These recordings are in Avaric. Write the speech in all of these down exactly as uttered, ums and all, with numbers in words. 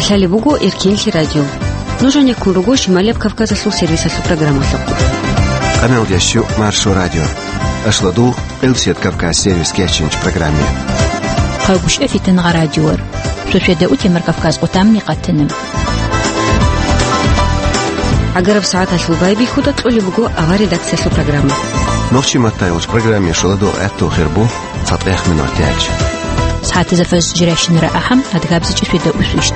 Лъалеб буго Эркенлъи радио. Нуж гьанеккун руго Шималияб Кавказалъул сервисалъул программалъухъ. Къамел ящу Маршо радио. Ашлодул Элсет Кавказ сервис кечинч программе. Хъагушев Фитен гъа радиор. Сосведа утемар Кавказ отамни къатана. Агараб сагӀаталъул байбихьуда кьолеб буго авар редакциялъул программа. Нохчи маттайолч программе шоладо гӀатту хирбу. ЦатӀех минут яч. СагӀатазда фаз жиращинара ахӀам, адгабзичӀи светда усвищт.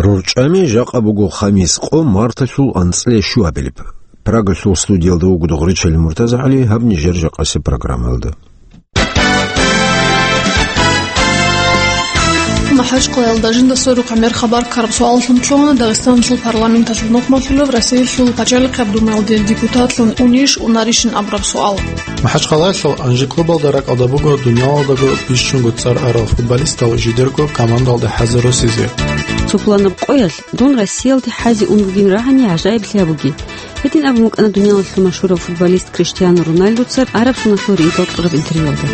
РорчӀами жакъа буго хамис къо марталъул анцӀлъи щуабилеб. Прагалъул студиялда вуго Дугъричалил МуртазагӀали, гьаб нижер жакъасеб программалда. МахӀачкъалаялда жинда сорухъа мер хабар ккараб суаллъун лъугьана Дагъистаналъул парламенталъул нухмалъулев Россиялъул пачалихъаб думаялде депутатлъун унищ унарищин абураб суал. МахӀачкъалаялъул Анжи клубалда ракӀалда буго дунялалдаго бищунго цӀар арал футболистал жидерго командалда хӀазе росизе. Цо пуланаб къоялъ дун Россиялде хӀазе ун бугин рагӀани гӀажаиблъи абуги. Гьедин абун букӀана дунялалъул машгьурав футболист Криштиану Роналдуца Араб Суналъул ригьикьал кьураб интервьюялда.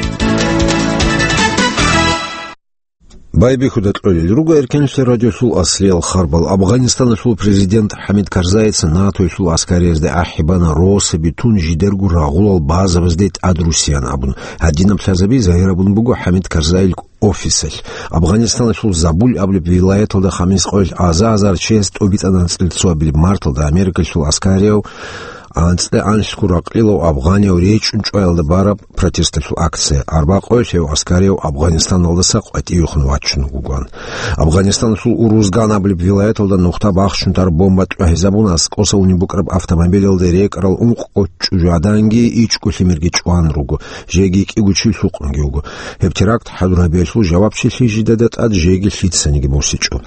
Байбихьуда кьолел руго Эркенлъи радиолъул аслиял харбал. Афганистаналъул президент ХӀамид Карзайица НАТОялъул аскариязде ахӀи бана росаби тун жидерго рагъулал базабазде тӀадрусиян абун. Гьадинаб лъазаби загьирабун буго ХӀамид Карзайил офисалъ. Афганистаналъул Забуль абулеб вилаяталда хамис къоялъ аза-азар чияс тӀубитӀана анцӀила цоабилеб марталда Америкалъул аскарияв анцӀила анлъго ракълилав афганияв речӀчӀун чӀваялда бараб протесталъул акция. Арба къоялъ гьев аскарияв Афганистаналдаса къватӀивехун вачун вугоан. Афганистаналъул Урузган абулеб вилаяталда нухда бахчун тараб бомба тӀвагьизабуна, аскӀоса унеб букӀараб автомобилалда рекӀарал ункъго чӀужугӀаданги ичӀго лъимерги чӀван руго, жеги кӀиго чи лъукъунги вуго. Гьеб теракт хӀадур гьабиялъул жавабчилъи жидеда тӀад жеги лъицаниги босичӀо.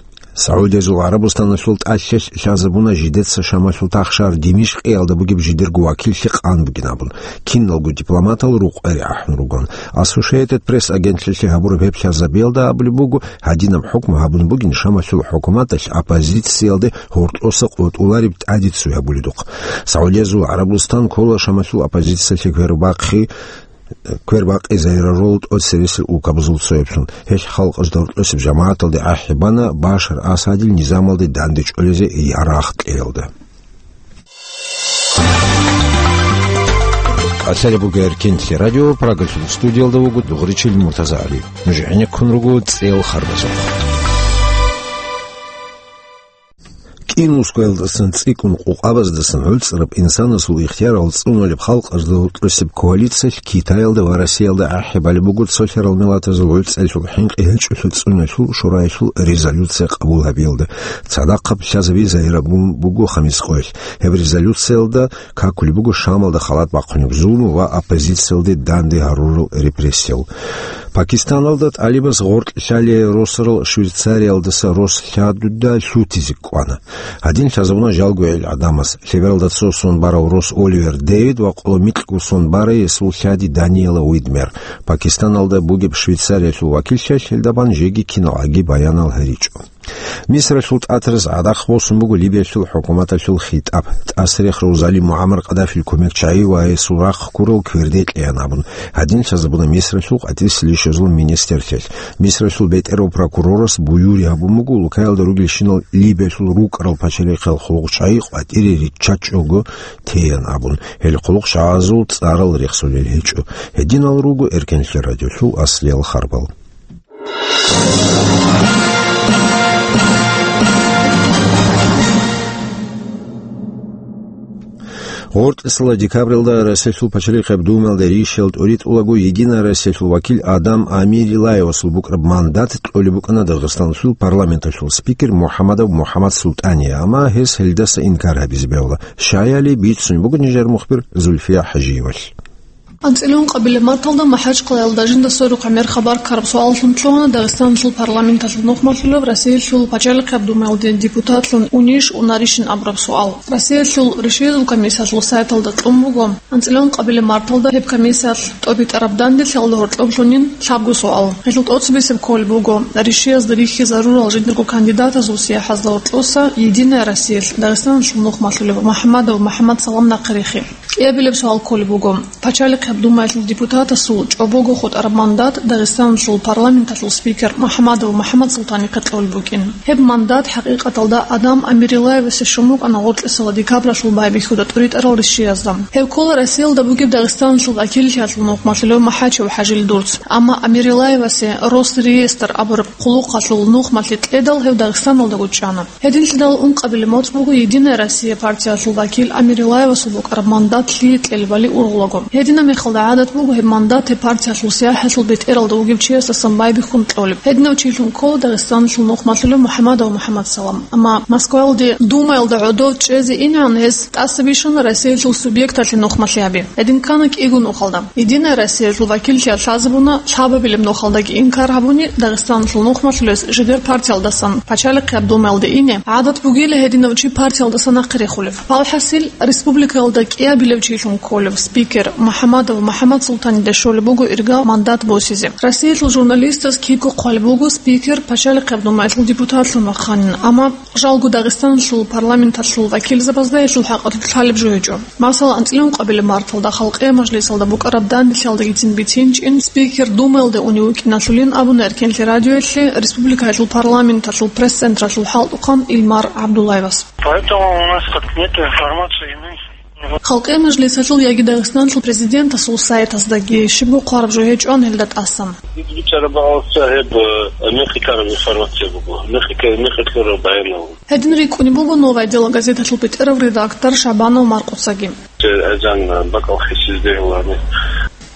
СагӀудиязул ГӀарабустаналъул тӀалъилъ лъазабуна жидеца Шамалъул тахшар Димишкъиялда бугеб жидерго вакиллъи къан бугин абун, киналго дипломатал рукъвери ахӀун ругоан. Associated Press агентлъилъги гьабураб гьеб лъазабиялда абулеб буго, гьадинаб хӀукму гьабун бугин Шамалъул хӀукуматалъ оппозициялде гьоркьоса къотӀулареб тӀаде цо гьабуледухъ. СагӀудиязул ГӀарабустан ккола Шамалъул оппозициялъе квербахъи квербакъи загьирарул тӀоцересел улкабазул цояблъун. Гьелъ халкъалъ доркьосеб жамагӀаталде ахӀи бана Башар Асадил низамалде дандечӀолезе ярагъ кьеялда. Лъалеб буго Эркенлъи радио, Прагалъул студиялда вуго Дугъричил МуртазагӀали. Нуж гӀенеккун руго цӀел харбазухъ. КӀинусгоялдасан цӀикӀкӀун къукъабаздасан гӀуцӀраб инсанасул ихтиярал цӀунулеб халкъазда гьоркьосеб коалициялъ Китаялда ва Россиялда ахӀи балеб буго цолъарал миллатазул гӀуцӀиялъул хӀинкъи гьечӀолъи цӀуналъул шураялъул резолюция къабул гьабиялда. Цадахъаб лъазаби загьирабун буго хамис къоялъ. Гьеб резолюциялда какулеб буго Шамалда халат бахъунеб зулму ва оппозициялде данде гьарурал репрессиял. Пакистаналда тӀалибас гъоркь лъалей росарал Швейцариялдаса рос лъадуда лъутизе кӀвана. Гьадин лъазабуна жалго гӀел гӀадамас. Лъебералда цо сон барав рос Оливер Дэвид ва къоло микьго сон барай гьесул лъади Даниэла Уидмер. Пакистаналда бугеб Швейцариялъул вакиллъиялъ гьелда бан жеги киналгӀаги баянал гьаричӀо. Мисралъул тӀатараз гӀадахъ босун буго Либиялъул хӀукуматалъул хитӀаб. ТӀасрехъ рав залим МугӀаммар Къаддафил кумекчагӀи ва гьесул рахъ ккурал кверде кьеян абун, гьадин лъазабуна Мисралъул къватӀирсилищазул министрлъиялъ. Мисралъул бетӀерав прокурорас буюри гьабун буго улкаялда ругелщинал Либиялъул рукӀарал пачалихъал хъулухъчагӀи къватӀире риччачӀого теян абун, гьел хъулухъчагӀазул цӀарал рехсолел гьечӀо. Гьединал руго Эркенлъи радиолъул аслиял харбал. Гъоркьисала декабралда Россиялъул пачалихъаб Думаялда ришиял тӀуритӀулаго Единая Россиялъул вакил Адам Амирилаевасул букӀараб мандат кьолеб букӀана Дагъистаналъул парламенталъул спикер МухӀамадов МухӀамад Султание, амма гьес гьелдаса инкар гьабизе бегьула. Щаяли бицун буго нижер мухбир Зульфия ХӀажиевалъ. АнцӀила ункъабилеб марталда МахӀачкъалаялда жинда сорухъа мер хабар ккараб суаллъун лъугьана Дагъистаналъул парламенталъул нухмалъулев Россиялъул пачалихъаб Думаялде депутатлъун унищ унарищин абураб суал. Россиялъул решиязул комиссиялъул сайталда кьун буго, анцӀила ункъабилеб марталда гьеб комиссиялъ тӀобитӀараб данделъиялда гьоркьоблъунин лъабго суал. Гьелъул тӀоцебесеб кколеб буго, решиязда рихьизарурал жиндирго кандидатазул сияхӀазда гьоркьоса Единая Россиялъ Дагъистаналъул нухмалъулев МухӀамадов МухӀамад Салам нахърихъи. КӀиабилеб суал кколеб буго, Пачалихъаб Думаялъул депутатасул чӀобого хутӀараб мандат Дагъистаналъул парламенталъул спикер МухӀамадов МухӀамад Султанихъе кьолеб букӀин. Гьеб мандат хӀакъикъаталда Адам Амирилаевасе щун букӀана гъоркьесала декабралъул байбихьуда тӀуритӀарал ришшиязда. Гьев ккола Россиялда бугеб Дагъистаналъул вакиллъиялъул нухмалъулев МухӀачев ХӀажил дурц. Амма Амирилаевасе Росреестр абураб хъулухъалъул нухмалъи кьедал гьев Дагъистаналдаго чӀана. Гьединлъидал ункъабилеб моцӀ буго «Единая Россия» партиялъул вакил Амирилаевасул букӀараб мандат лъие кьелебали ургъулаго. Гьединаб мехалда гӀадат буго гьеб мандат гьеб партиялъул сияхӀалъул бетӀералда вугев чиясдасан байбихьун кьолеб. Гьединав чилъун ккола Дагъистаналъул нухмалъулев МухӀамадов МухӀамад Салам. Амма Москваялде Думаялда гӀодов чӀезе инегӀан гьес тӀаса бищана Россиялъул субъекталъе нухмалъи гьаби. Гьедин ккана кӀиго нухалда. «Единая Россиялъул» вакиллъиялъ лъазабуна лъабабилеб нухалдаги инкар гьабуни Дагъистаналъул нухмалъулес жидер партиялдасан Пачалихъаб Думаялде ине гӀадат бугила гьединав чи партиялдаса нахъе рехулев. Палхасил, республикаялда кӀиабилев чилъун кколев спикер МухӀамадов МухӀамад Султанида щолеб буго ирга мандат босизе. Россиялъул журналистаз кибго хъвалеб буго спикер Пачалихъаб Думаялъул депутатлъун вахъанин, амма жалго Дагъистаналъул парламенталъул вакилзабазда гьелъул хӀакъалъулъ лъалеб жо гьечӀо. Масала, анцӀила ункъабилеб марталда Халкъиял мажлисалда букӀараб данделъиялдагицин бицинчӀин, спикер Думаялде унев вукӀиналъулин абуна Эркенлъи радиоялъе республикаялъул парламенталъул пресс-централъул хӀалтӀухъан Илмар ГӀабдуллаевас. Поэтому у нас как нет информации иной. Халкъиял мажлисалъул яги Дагъистаналъул президентасул сайтаздаги щибго хъвараб жо гьечӀо гьелда тӀасан. Ит бичӀараб гьаб гьеб, э, мехалъ ккараб информация буго. Мехалъ, мехалъ ккараб баянал. Гьедин рикӀкӀунеб буго «Новое дело» газеталъул бетӀерав редактор Шабанов Маркъуцаги. Азан бакӀал хисизде вугьани.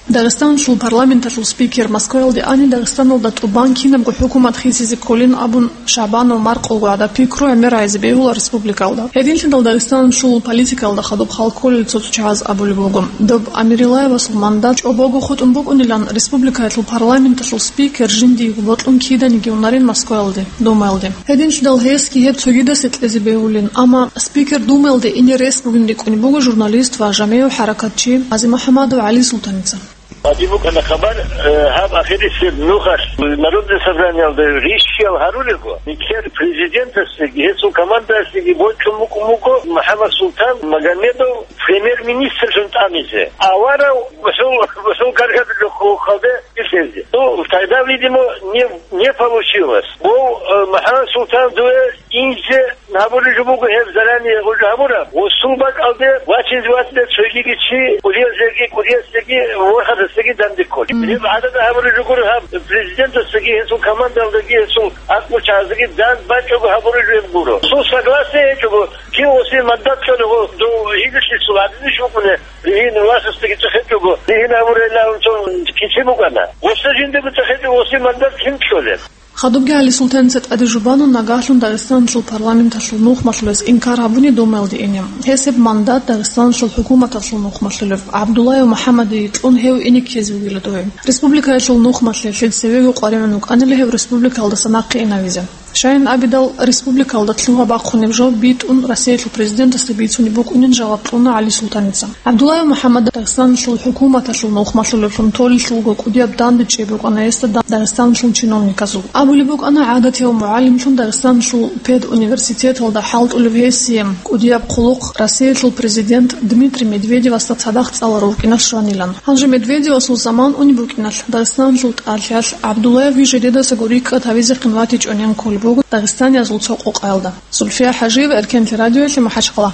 Дагъистаналъул парламенталъул спикер Москваялде ани Дагъистаналда тӀубан кинабго хӀукумат хисизе кколин абун Шабанов Маркъуго гӀадаб пикру гӀемер гӀайзе бегьула республикалда. Гьединлъидал Дагъистаналъул политикалда хадуб хал кколел цо-цо чагӀаз абулеб буго, доб Амирилаевасул мандат чӀобого хутӀун букӀунилан республикаялъул парламенталъул спикер жиндиего бокьун киданиги унарин Москваялде, Думаялде. Гьединлъидал гьесги гьеб цогидасе кьезе бегьулин, амма спикер Думаялде ине рес бугин рикӀкӀунеб буго журналист ва жамигӀ хӀаракатчи ГъазимухӀамадов ГӀалисултаница. Гьадин букӀана хабар, э, гьаб ахирисеб нухалъ Народное собраниялда ришшиял гьарулего, нилъер президентасдаги гьесул командаялъеги бокьун букӀун буго МухӀаммад Султан Магомедов премьер-министрлъун тӀамизе. Аварав гьесул, гьесул гаргадулъухъалде бихьизе. Ну, тогда, видимо, не, не получилось. Бо, э, МухӀаммад Султан дуе инзе гьабулеб жо буго гьеб заранее уже гьабураб. Гъусул бакӀалде вачизе вацӀида цогиги чи, кӀудиясеги, кӀудиясеги, ворхатасеги данде кколеб. Мгм. Гьеб гӀадада гьабулеб жо гуро гьаб, президентасдаги, гьесул командалдаги, гьесул акъмучагӀаздаги дандбачӀого гьабулеб жо гьеб гуро. Гъусул согласие гьечӀого, кив гъосие мандат кьолего, дов гьидулъисул гӀадинищ вукӀуне, ригьин властасдаги цӀехечӀого, ригьин гьабурайилан цо кици букӀана. Гъосда жиндаго цӀехечӀого гъосие мандат кин кьолеб? Хадубги ГӀалисултаница тӀаде жубана нагагьлъун Дагъистаналъул парламенталъул нухмалъулес инкар гьабуни Думаялде ине. Гьес гьеб мандат Дагъистаналъул хӀукуматалъул нухмалъулев ГӀабдуллаев МухӀаммадие кьун гьев ине ккезе вугила дой. Республикаялъул нухмалъи лъил цевего къваригӀун вукӀанила гьев республикаялдаса нахъе инавизе. Щайин абидал, республикаялда лъугьа-бахъунеб жо битӀун Россиялъул президентасда бицунеб букӀунин жаваб кьуна ГӀалисултаница. ГӀабдуллаев МухӀаммад Дагъистаналъул хӀукуматалъул нухмалъулевлъун толелъулго кӀудияб данде чӀей букӀана гьесда Дагъистаналъул чиновниказул. Абулеб букӀана, гӀадатияв мугӀалимлъун Дагъистаналъул педуниверситеталда хӀалтӀулев гьесие кӀудияб хъулухъ Россиялъул президент Дмитрий Медведевасда цадахъ цӀаларав вукӀиналъ щванилан. Гьанже Медведевасул заман унеб букӀиналъ, Дагъистаналъул тӀалъиялъ ГӀабдуллаев жидедасаго рикӀкӀад гьавизехъин ватичӀонин кколеб буго дагъистаниязул цо къокъаялда. Зульфия ХӀажиева, Эркенлъи радиоялъе, МахӀачхъала.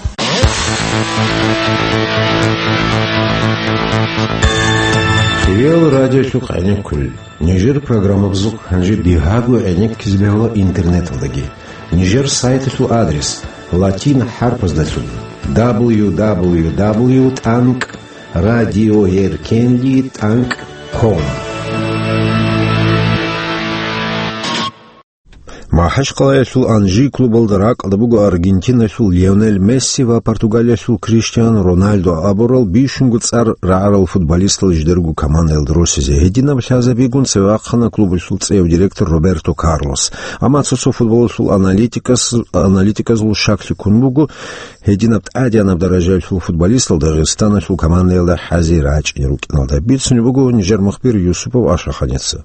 Риал радиолъухъ гӀенеккулел. Нижер программабазухъ гьанже дигьаго гӀенеккизе бегьула интернеталдаги. Нижер сайталъул адрес латин хӀарпаздалъун: дабл ю дабл ю дабл ю тӀанкӀ радиоэркенлъи тӀанкӀ ком. МахӀачхъалаялъул Анжи клубалда ракӀалда буго Аргентиналъул Лионел Месси ва Португалиялъул Криштиану Роналдо абурал бищунго цӀар рагӀарал футболистал жидерго командаялда росизе. Гьединаб лъазабигун цеве вахъана клубалъул цӀеяв директор Роберто Карлос. Амма цо-цо футболалъул аналитикас-, аналитиказул щаклъи ккун буго, гьединаб тӀадегӀанаб даражаялъул футболистал Дагъистаналъул командаялда хӀазе рачӀине рукӀиналда. Бицунеб буго нижер мухбир Юсупов Ашаханица.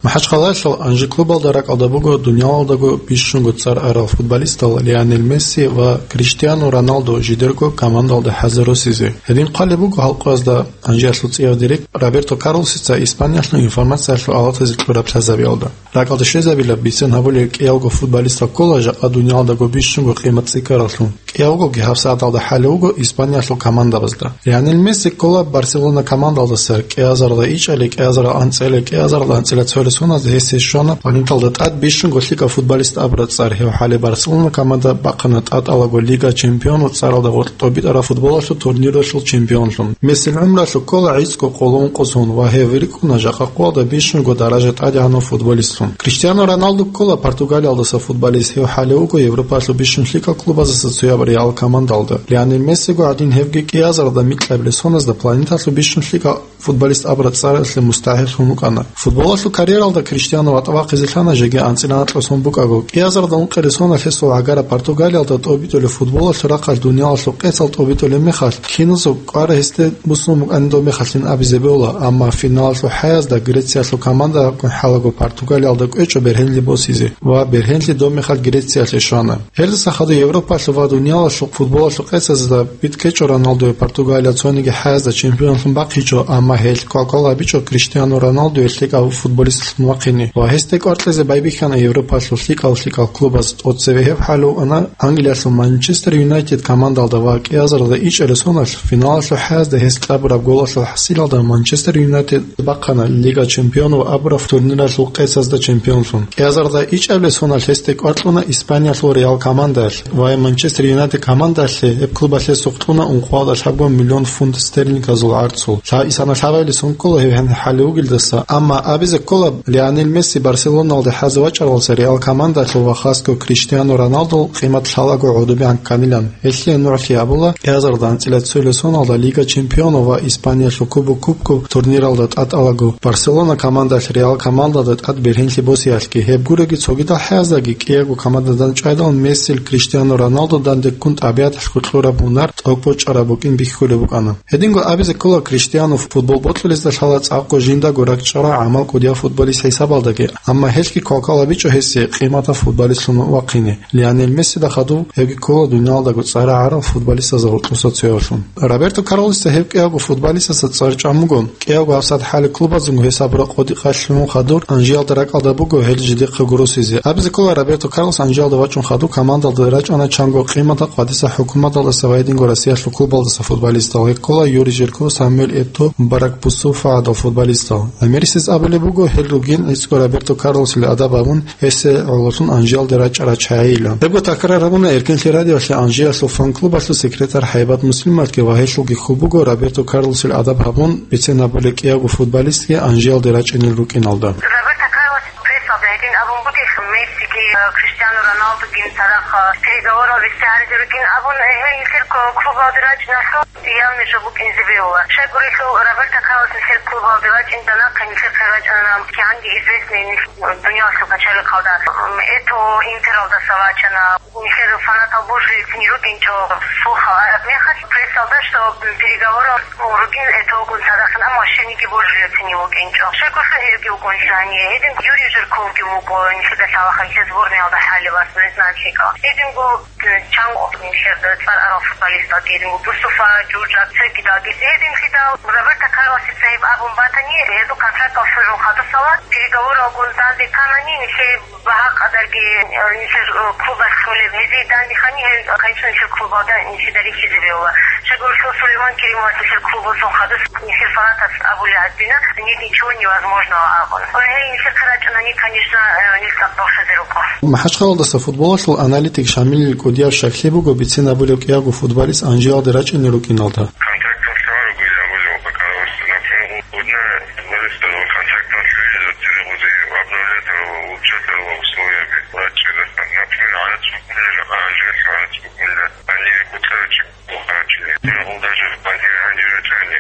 МахӀачхъалаялъул Анжи клубалда ракӀалда буго дуниялалдаго бищунго цӀар арал футболистал Лионел Месси ва Криштиану Роналду жидерго командалда хӀазе росизе. Гьедин хъвалеб буго халкъазда Анжиялъул цӀияв директор Роберто Карлосица Испаниялъул информациялъул алатазе кьураб лъазабиялда. РакӀалде щвезабила бицен гьабулел кӀиялго футболистал ккола жакъа дуниялалдаго бищунго къимат цӀикӀкӀараллъун. КӀиявгоги гьабсагӀаталда хӀалев вуго Испаниялъул командабазда. Лионел Месси ккола Барселона командалдаса кӀиазарда ичӀали, кӀиазарда анцӀила, кӀиазарда анцӀила цоял соназда гьесие щвана планеталда тӀад бищунго лъикӀав футболист абураб цӀар. Гьев хӀале Барселона команда бахъана тӀатӀалаго Лига чемпионов цӀаралда гъоркь тӀобитӀараб футболалъул турниралъул чемпионлъун. Мессил гӀумралъул ккола гӀицӀго къоло ункъо сон ва гьев рикӀкӀуна жакъа къоялда бищунго даража тӀадегӀанав футболистлъун. Криштиану Роналду ккола Португалиялдаса футболист, гьев хӀале вуго Европалъул бищун лъикӀал клубаздаса цояб Реал командалда. Лионел Мессиго гӀадин гьевги кӀиазарда микьабилеб соназда планеталъул бищун лъикӀал футболист абураб цӀаралъе мустахӀикълъун вукӀана. Футболалъул карьералда Криштиану ватӀа вахъизе лъана жеги анцӀила анкьа сон букӀаго. КӀиазарда ункъилеб соналъ гьесул гӀагара Португалиялда тӀобитӀулеб футболалъул рахъалъ дуниялалъул къецал тӀобитӀулеб мехалъ, киназул кӀвар гьесде буссун букӀанин доб мехалъин абизе бегьула, амма финалалъул хӀаязда Грециялъул командагун хӀалаго Португалиялда кӀвечӀо бергьенлъи босизе ва бергьенлъи доб мехалъ Грециялъе щвана. Гьелдаса хадув Европалъул ва дуниялалъул футболалъул къецазда битӀкӀечӀо Роналдуе Португалия цониги хӀаязда чемпионлъун бахъичӀо, амма гьелъ квалквал гьабичӀо Криштиану Роналдуе лъикӀав футболистлъун вахъине ва гьесде кӀвар кьезе байбихьана Европалъул лъикӀал-лъикӀал клубаз. ТӀоцебе гьеб хӀалуана Англиялъул Манчестер Юнайтед командалда ва кӀиазарда ичӀараб соналъ финалалъул хӀаязда гьес кьабураб голалъул хӀасилалда Манчестер Юнайтед бахъана Лига чемпионов абураб турниралъул къецазда чемпионлъун. КӀиазарда ичӀабилеб соналъ гьесде кӀвар кьуна Испаниялъул Реал командаялъ ва Манчестер Юнайтед командаялъе гьеб клубалъе сукъ кьуна ункъоялда лъабго миллион фунт стерлингаялъул гӀарцул. Лъа-, исана лъабабилеб сон ккола гьев гьениб хӀалев вугелдаса, амма абизе ккола, Лионел Месси Барселоналде хӀазе вачӀаралдаса Реал командалъул ва хасго Криштиану Роналдул къимат лъалаго гӀодобегӀан кканилан. Гьелъие нугӀлъи абула кӀиазарда анцӀила цоялъ соналда Лига чемпионов ва Испаниялъул Кубок кубков турниралда тӀатӀалаго Барселона командалъ Реал командалда тӀад бергьенлъи босиялъги. Гьеб гурони цогидал хӀаяздаги кӀиябго командадан чӀвайдал Мессил Криштиану Роналдудан деккун тӀабигӀаталъго кьураб гьунар тӀокӀ бочӀараб букӀин бихьулеб букӀана. Гьединго абизе ккола, Криштиану футбол бокьулезда лъала цӀакъго жиндаго ракӀчӀарал гӀамал кӀудияб футболист хӀисабалдаги, амма гьелъги квалквал гьабичӀо гьесие къиматаб футболистлъун вахъине. Лионел Мессида хадув гьевги ккола дуниялалдаго цӀар гӀарал футболистазда гъоркьоса цоявлъун. Роберто Карлосица гьев кӀиявго футболистаса цӀар чӀван буго. КӀиявго гьабсагӀат хӀале клубазунго гьес абураб къотӀи къалъулъун хадур Анжиялда ракӀалда буго гьел жидехъе гуроси. Абизе ккола, Роберто Карлос Анжиялда вачӀун хадур командалда рачӀана чанго къиматаб къватӀиса хӀукуматалдаса ва гьединго Россиялъул клубалдаса футболистал. Гьел ккола Юрий Жирков, Самуэль Этоо, Мубарак Бусуфа гӀадал футболистал. Гьел мерисез абулеб буго, гьел ругин гӀицӀго Роберто Карлосил адаб гьабун, гьесие гӀололъун Анжиялде рачӀарал чагӀийилан. Гьебго такрар гьабуна Эркенлъи радиоялъе Анжиялъул фан-клубалъул секретарь ХӀайбат Муслимоватги ва гьелъулги хьул буго Роберто Карлосил адаб гьабун, бицен гьабулел кӀиявго футболистги Анжиялде рачӀунел рукӀиналда. Роберто Карлос прессалда гьедин абун бугелъул, Мессиги, э, Криштиану Роналдуги цадахъ, э, переговорал вести гьаризе ругин абун, э, гьел нилъер ку-, клубалде рачӀиналъул явный жо букӀинзе бегьула. Щайгурелъул Роберто Карлос нилъер клубалде вачӀиндал нахъе нилъехъе рачӀана кигӀанги известный нилъ-, дуниялалъул пачалихъалда, м, Этоо Интералдаса вачана. Нилъер фанатал божулелцин рукӀинчӀо, слухал араб мехалъ прессалда, что переговорал ругин Этоогун цадахъ, амма щениги божулелцин вукӀинчӀо. Щайгурелъул гьевги вукӀунчӀо гьанив. Гьедин Юрий Жирковги вукӀо, нилъеда лъалаха, нилъер сборнаялда хӀалеб ас, национальщикал. Гьединго, э, чанго нилъер цӀар арал футболистал, гьединго Бусуфа, Жужа, цогидалги. Гьединлъидал Роберто Карлосица гьеб абун батани, гьезул контрактал лъугӀун хадусала, переговоралгун данде кканани, нилъее багьа къадарги, э, нилъер, э, клубас кколеб гьезие дандехъани, гьел, конечно, нилъер клубалда нилъеда рихьизе бегьула. Щайгурелъул Сулейман Керимовас нилъер клубалъул хадус нилъер фанатас абулеб гьадина, «Нет ничего невозможного», абун. Ва гьей нилъехъе рачӀунани, конечно, э, нилъ цӀакъ бахъизе рукӀо. МахӀачхъалаялдаса футболалъул аналитик Шамилил кӀудияб щаклъи буго бицен гьабулев кӀиявго футболист Анжиялде рачӀунел рукӀиналда. Контрактал лъугӀараб гьел абулеб букӀараб, например, гъудна футболистазул контрактал лъугӀизе цере гъузи обновлять гьарулел, улучшать гьарулел условияби рачӀчӀила. Например, гӀарац букӀунила, Анжиялъ гӀарац букӀунила, гьаниве куцӀарачи бухарачи. Гьел даже гьаниве рачӀани,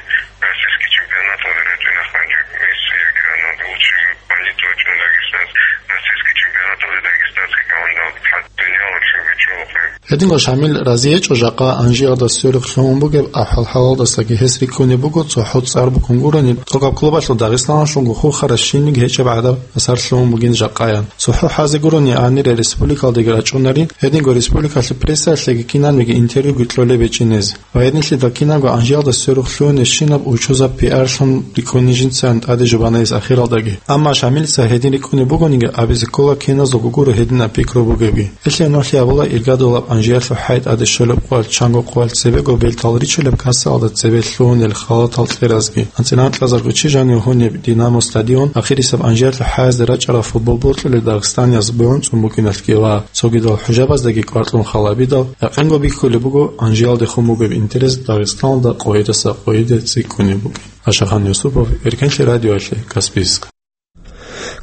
российский чемпионаталде рачӀана гьанже Месси яги Роналду, лучший футболист вачӀун Дагестанс, российский чемпионаталде дагестанский командалда лъан, дунияла чемпион чӀолохъе. Гьединго Шамил разиечӀо жакъа Анжиялда сверухъ лъугьун бугеб ахӀвал-хӀалалдасаги. Гьес рикӀкӀунеб буго цохӀо цӀар букӀун гурони, тӀокӀаб клубалъул Дагъистаналъулго хурхарас щинниги гьечӀеб гӀадаб асар лъугьун бугин жакъаян. ЦохӀо хӀазе гурони гьанире республикалдаги рачӀунарин, гьединго республикалъе прессаялъеги кинабниги интервьюги кьолеб гьечӀин гьез. Ва гьединлъидал кинабго Анжиялда сверухъ лъугьунебщинаб учузаб пиарлъун рикӀкӀунин жинцайин тӀаде жубана гьес ахиралдаги. Амма Шамилица гьедин рикӀкӀунеб бугониги, абизе ккола киназулго гуро гьединаб пикру бугебги. Гьелъие нугӀлъи абула иргадулаб Анжиялъул хӀай тӀаде щолеб къоялъ чанго къоялъ цебего бертал ричулеб кассалда цебе лъугьунел халатал кьеразги. АнцӀила анкьазарго чи жанив гьунеб Динамо стадион ахирисаб Анжиялъул хӀаязде рачӀарал футбол бокьулел дагъистанияз бугӀун цӀун букӀиналъги ва цогидал хӀужабаздаги кӀвар кьун халабидал, якъинго бихьулеб буго Анжиялдехун бугеб интерес Дагъистаналда къойидаса къойиде цӀикӀкӀунеб букӀин. Ашахан Юсупов, Эркенлъи радиоялъе, Каспийск.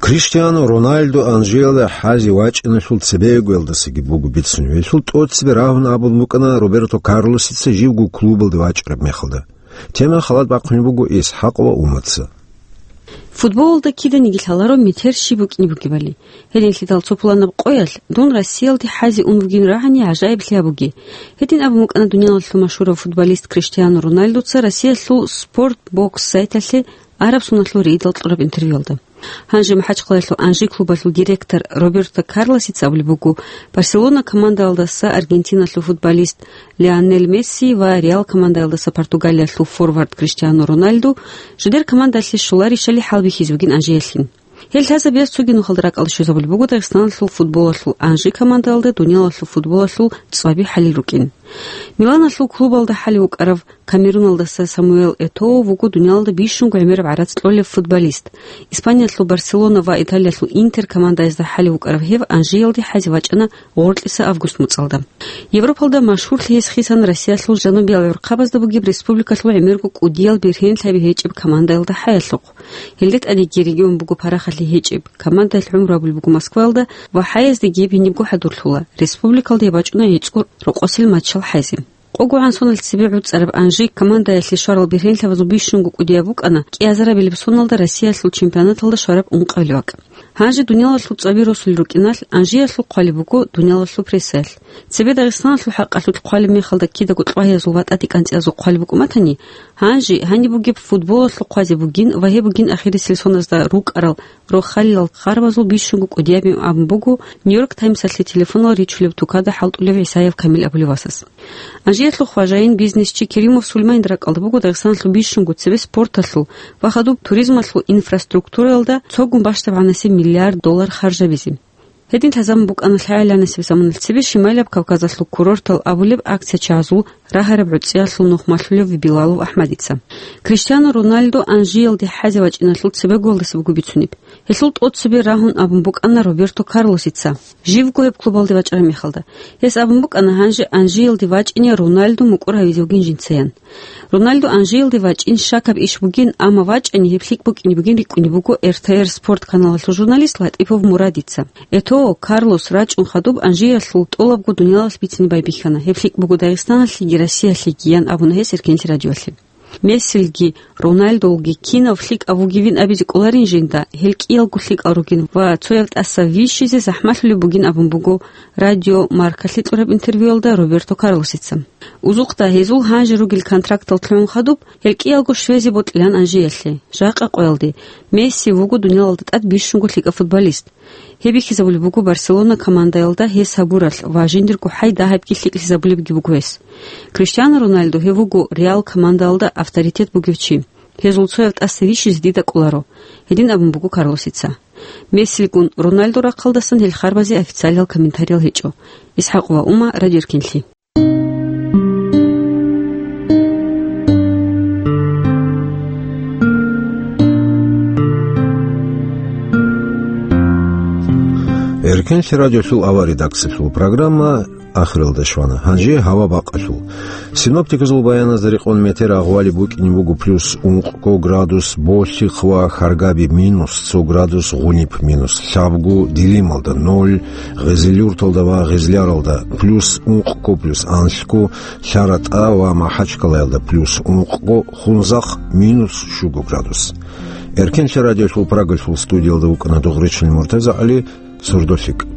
Криштиану Роналду Анжиялда хӀазе вачӀиналъул цебегоялдасаги буго бицунеб. Гьелъул тӀоцебе рагьун абун букӀана Роберто Карлосица живго клубалде вачӀараб мехалда. Тема халат бахъунеб буго ИсхӀакъ ва Умаца. Футболалда киданиги лъаларо метер щиб букӀине бугебали. Гьединлъидал цо пуланаб къоялъ дун Россиялде хӀазе ун вугин рагӀани гӀажаиблъи гьабуге. Гьедин абун букӀана дуниялалъул машгьурав футболист Криштиану Роналдуца Россиялъул Спорт Бокс сайталъе араб соналъул рейдал кьураб интервьюялда. Гьанже МахӀачхъалаялъул Анжи клубалъул директор Роберто Карлосица абулеб буго, Барселона командаялдаса Аргентиналъул футболист Лионел Месси ва Реал командаялдаса Португалиялъул форвард Криштиану Роналду жидер командалъе щоларищали хӀалбихьизе бугин Анжиялъин. Гьел лъазабиялъ цоги нухалда ракӀалде щвезабулеб буго Дагъистаналъул футболалъул Анжи командаялда дуниялалъул футболалъул цӀваби хӀалил рукӀин. Миланалъул клубалда хӀалев вукӀарав Камеруналдаса Самуэл Этоо вуго дуниялалда бищунго гӀемераб гӀарац кьолев футболист. Испаниялъул Барселона ва Италиялъул Интер командаязда хӀалев вукӀарав гьев Анжиялде хӀазе вачӀана гъоркьиса август муцӀалда. Европалда машгьурлъи гьес хисан Россиялъул жанубиял гӀурхъабазда бугеб республикалъул гӀемерго кӀудиял бергьенлъаби гьечӀеб командаялда хӀаялъухъ. Гьелде тӀадеги регион буго парахалъи гьечӀеб, командаялъ гӀумру гьабулеб буго Москваялда ва хӀаяздаги гьеб гьенибго хӀадурлъула, республикалда гьеб бачӀуна гӀицӀго рокъосел матчал хӀазе. Къого гӀан соналъ цебе гӀуцӀараб Анжи командаялъе щварал бергьенлъабазул бищунго кӀудияб букӀана кӀиазарабилеб соналда Россиялъул чемпионаталда щвараб ункъабилеб бакӀ. Гьанже дуниялалъул цӀваби росулел рукӀиналъ, Анжиялъул хъвалеб буго дуниялалъул прессаялъ. Цебе Дагъистаналъул хӀакъалъулъ хъвалеб мехалда кидаго кьвагьиязул ва тӀадекӀанцӀиязул хъвалеб букӀун батани, гьанже гьаниб бугеб футболалъул хъвазе бугин ва гьеб бугин ахирисел соналда рукӀарал рохалилал харбазул бищунго кӀудиябин абун буго Нью-Йорк Таймсалъе телефонал ричулеб тукада хӀалтӀулев ГӀисаев Камил абулев васас. Анжиялъул хважаин, бизнесчи Керимов Сулейманил ракӀалда буго Дагъистаналъул бищунго цебе спорталъул ва хадуб туризмалъул инфраструктуралда цогун бащдабгӀанасеб миллиард доллар харжабизе. Гьедин лъазабун букӀана лъагӀаланасеб заманалъ цебе Шимайлаб Кавказалъул курортал абулеб акция чагӀазул рагьараб гӀуцӀиялъул нухмалъулев Билалов АхӀмадица. Криштиану Роналду Анжиялде хӀазе вачӀиналъул цебегоялдаса буго бицунеб. Гьелъул тӀоцебе рагьун абун букӀана Роберто Карлосица, живго гьеб клубалде вачӀараб мехалда. Гьес абун букӀана, гьанже Анжиялде вачӀине Роналду мукӀур гьавизе вугин жинцаян. Роналду Анжиялде вачӀин щакаб иш бугин, амма вачӀани гьеб лъикӀ букӀине бугин рикӀкӀунеб буго эр тэ эр Спорт каналалъул журналист Латипов Мурадица. Этоо, Карлос рачӀун хадуб Анжиялъул тӀолабго дуниялалъ бицине байбихьана, гьеб лъикӀ буго Дагъистаналъеги Россиялъеги, ян абуна гьес Эркенлъи радиоялъе. Мессилги, Роналдулги кинав лъикӀав вугевин абизе кӀоларин жинда, гьел кӀиялго лъикӀал ругин ва цояв тӀаса вищизе захӀмалъулеб бугин абун буго радио Маркалъе кьураб интервьюялда Роберто Карлосица. Узухъда гьезул гьанже ругел контрактал лъугӀун хадуб, гьел кӀиялго щвезе бокьилан Анжиялъе. Жакъа къоялде, Месси вуго дуниялалда тӀад бищунго лъикӀав футболист. Гьеб бихьизабулеб буго Барселона командаялда гьес гьабуралъ ва жиндирго хӀай дагьабги лъикӀлъизабулебги буго гьес. Криштиану Роналду гьев вуго Реал командаялда авторитет бугев чи. Гьезул цояв тӀаса вищизе дида кӀоларо, гьедин абун буго Карлосица. Мессилгун Роналду рахъалдасан гьел харбазе официалиял комментариял гьечӀо. ИсхӀакъ ва Ума, Радио Эркенлъи. Эркенлъи радиолъул авария редакциялъул программа ахиралде щвана. Гьанже гьава бакъалъул. Синоптиказул баяназда рекъон метер агъвали букӀине буго плюс ункъго градус Болъихъ ва Харгаби, минус цо градус Гъуниб, минус лъабго Дилималда, ноль Гъезилюрталда ва Гъезляралда, плюс ункъго, плюс анлъго ЛъаратӀа ва МахӀачкъалаялда, плюс ункъго Хунзахъ, минус щуго градус. Эркенлъи радиолъул Прагалъул студиялда вукӀана Дугъричилин МуртазагӀали, сурдолъикӀ.